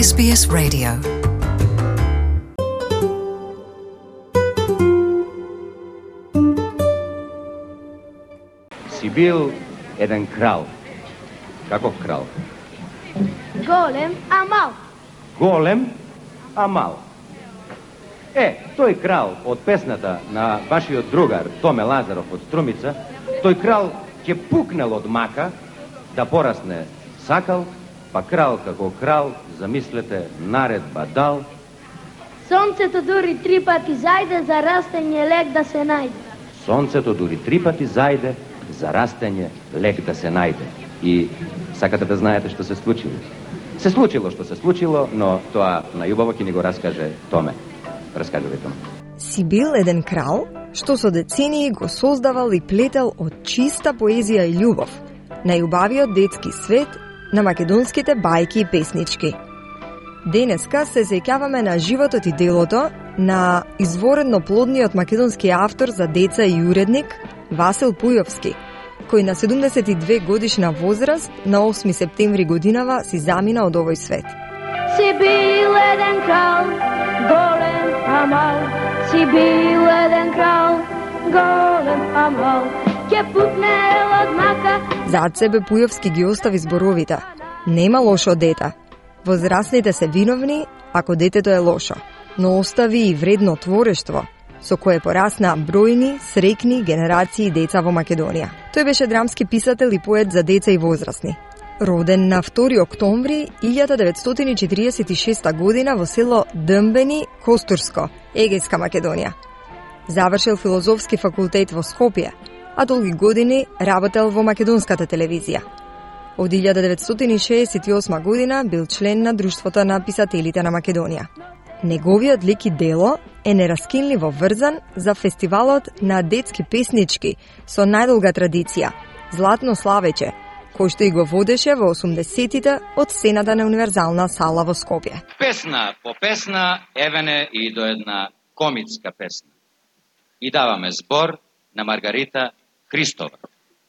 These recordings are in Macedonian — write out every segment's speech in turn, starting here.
SBS Radio. Си бил еден крал. Каков крал? Голем, а мал. Голем, а мал. Тој крал од песната на вашиот другар Томе Лазаров од Струмица, тој крал ќе пукнел од мака да порасне сакал, па крал како крал, замислете, наредба дал. Сонцето дури 3 пати зајде, за растење лек да се најде. Сонцето дури 3 пати зајде, за растење лек да се најде. И сакате да знаете што се случило? Се случило што се случило, но тоа најубаво ќе ни го раскаже Томе. Раскажувате, Томе. Си бил еден крал, што со децении го создавал и плетел од чиста поезија и љубов, најубавиот детски свет на македонските бајки и песнички. Денеска се сеќаваме на животот и делото на изворедно плодниот македонски автор за деца и уредник Васил Пујовски, кој на 72 годишна возраст на 8 септември годинава си замина од овој свет. Си бил еден крал, голем, а мал. Си бил еден крал, голем, а мал. Ќе пукнел од мака. Зад себе Пујовски ги остави зборовите: нема лошо дете. Возрастните се виновни ако детето е лошо, но остави и вредно творештво, со кое порасна бројни, среќни генерации деца во Македонија. Тој беше драмски писател и поет за деца и возрастни. Роден на 2 октомври 1946 година во село Дмбени, Костурско, Егејска Македонија. Завршил филозофски факултет во Скопје, а долги години работел во македонската телевизија. Од 1968 година бил член на Друштвото на писателите на Македонија. Неговиот лик и дело е нераскинливо врзан за фестивалот на детски песнички со најдолга традиција Златно славече, кој што и го водеше во 80-тите од сцената на Универзална сала во Скопје. Песна по песна евене и до една комицка песна. И даваме збор на Маргарита Христова.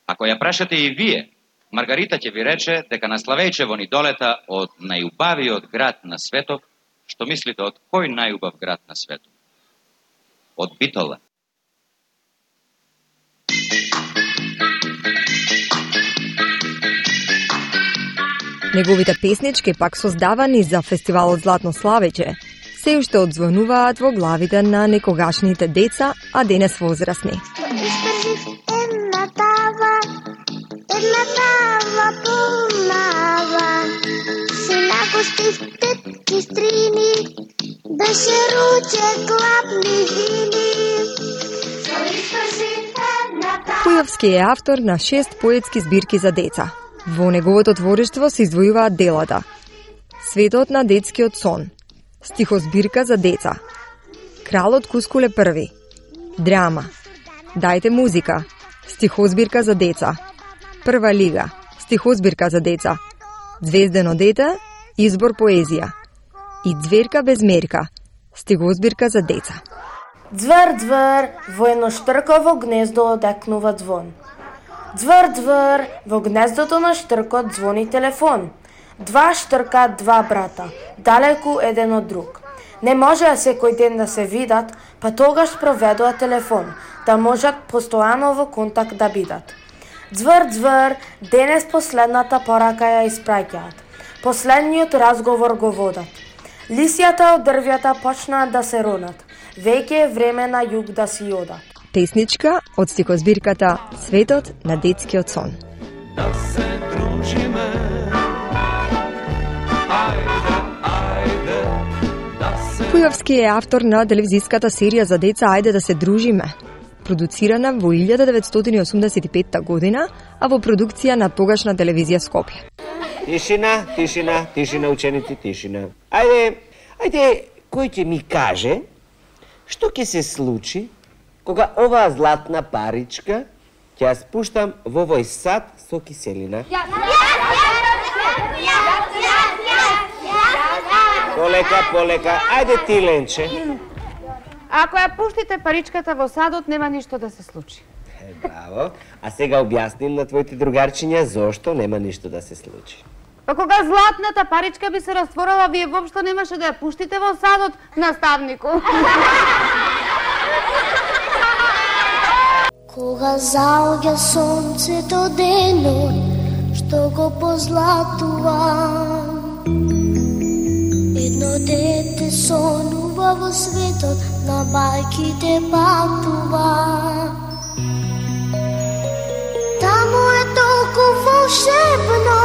Ако ја прашате и вие, Маргарита ќе ви рече дека на Славејчево ни долета од најубавиот град на светот. Што мислите, од кој најубав град на светот? Од Битола. Неговите песнички, пак создавани за фестивалот Златно славече, се уште одзвонуваат во главите на некогашните деца, а денес возрастни. Една тава помава, се нагостив тетки стрини, беше руче клапни вини. Пујовски е автор на 6 поетски збирки за деца. Во неговото творештво се издвојуваат делата: Светот на детскиот сон, стихозбирка за деца, Кралот Кускуле први, драма, Дајте музика, стихозбирка за деца, Прва лига, стихозбирка за деца, Звездено дете, избор поезија и Ѕверка без мерка, стихозбирка за деца. Ѕвер, ձвер, во едно штрково гнездо одекнува ѕвон. Ձвер, ձвер, во гнездото на штркот звони телефон. Два штрка, два брата, далеку еден од друг. Не можеа секој ден да се видат, па тогаш проведоа телефон, да можат постојано во контакт да бидат. Ձвер, ձвер, денес последната порака ја испраќаат. Последниот разговор го водат. Лисјата од дрвјата почнаат да се ронат. Веќе е време на југ да си одат. Песничка од стихозбирката Светот на детскиот сон. Да се дружиме, ајде, ајде, да се... Пујовски е автор на телевизиската серија за деца Ајде да се дружиме, продуцирана во 1985 година, а во продукција на тогашна телевизија Скопје. Тишина, тишина, тишина, ученици, тишина. Ајде, кој ќе ми каже што ќе се случи кога оваа златна паричка ќе ја спуштам во овој сад со киселина? Полека, полека, ајде ти, Ленче. Ако ја пуштите паричката во садот, нема ништо да се случи. Браво. А сега објасним на твоите другарчиња зошто нема ништо да се случи. Па кога златната паричка би се растворила, вие воопшто немаше да ја пуштите во садот, наставнику. Кога заоѓа сонцето денот, што го позлатува, едно дете сонува во светот, на бајките патува. Таму е толку волшебно,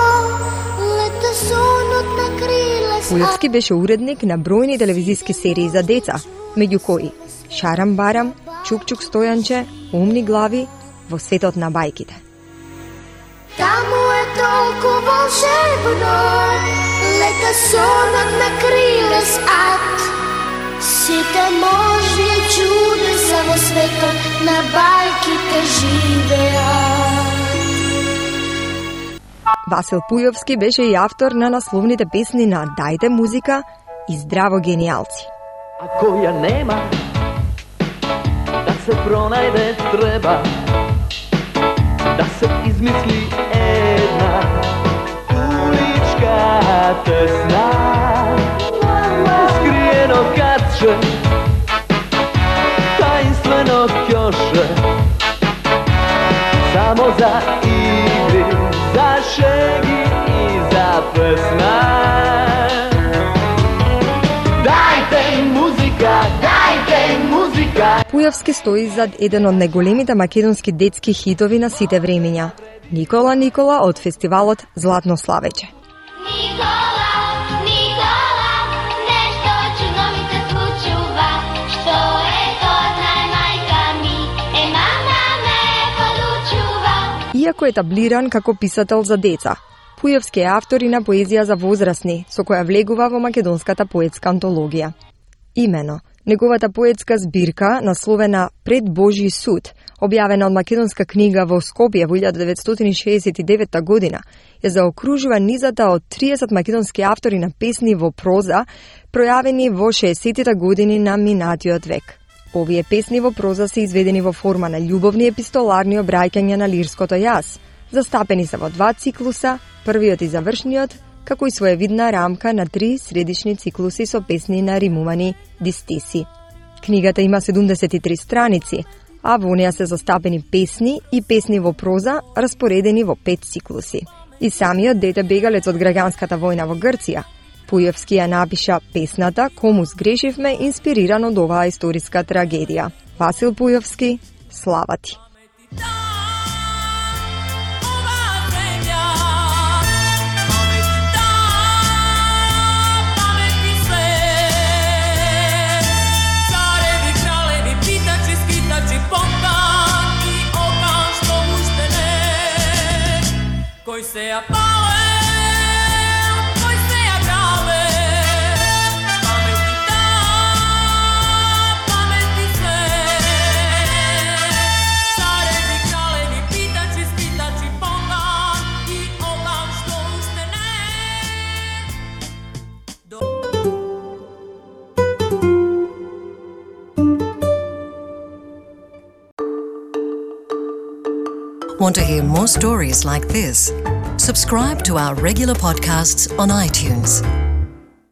лета сонот на криле. Пујовски беше уредник на бројни телевизиски серии за деца, меѓу кои Шарам Барам, Чук-чук Стојанче, Умни глави, Во светот на бајките. Таму е толку волшебно, лета сонот на криле ад. Сите можни чудеса во светот на бајките живеат. Васил Пујовски беше и автор на насловните песни на Дајте музика и Здраво генијалци. Ако ја нема, да се пронајде треба, да се измисли една уличка тесна, скриено катче, таинствено ќоше, само за игри, за шеги и за песна. Дајте музика, дајте музика. Пујовски стои зад еден од најголемите македонски детски хитови на сите времења. Никола Никола од фестивалот Златно славеќе. Никола, Никола, нешто чудно ми се случува. Што е то, знае мајка ми, мама ме подучува. Иако е таблиран како писател за деца, Пујовски е автор и на поезија за возрастни, со која влегува во македонската поетска антологија. Имено, неговата поетска збирка, насловена Пред Божји суд, објавена од македонска книга во Скопје во 1969 година, ја заокружува низата од 30 македонски автори на песни во проза, пројавени во 60-тите години на минатиот век. Овие песни во проза се изведени во форма на љубовни епистоларни обраќања на лирското јас. Застапени се во два циклуса, првиот и завршниот, како и своевидна рамка на 3 средишни циклуси со песни на римувани дистиси. Книгата има 73 страници, а во неја се застапени песни и песни во проза, распоредени во 5 циклуси. И самиот дете бегалец од граѓанската војна во Грција, Пујовски ја напиша песната Кому сгрешивме, инспириран од оваа историска трагедија. Васил Пујовски, слава ти! Koji se ja pale, koji se ja grave, pameti ta, pameti sve. Carevi, kraljevi, pitači, spitači, pongan i ogan što uštene. Want to hear more stories like this? Subscribe to our regular podcasts on iTunes.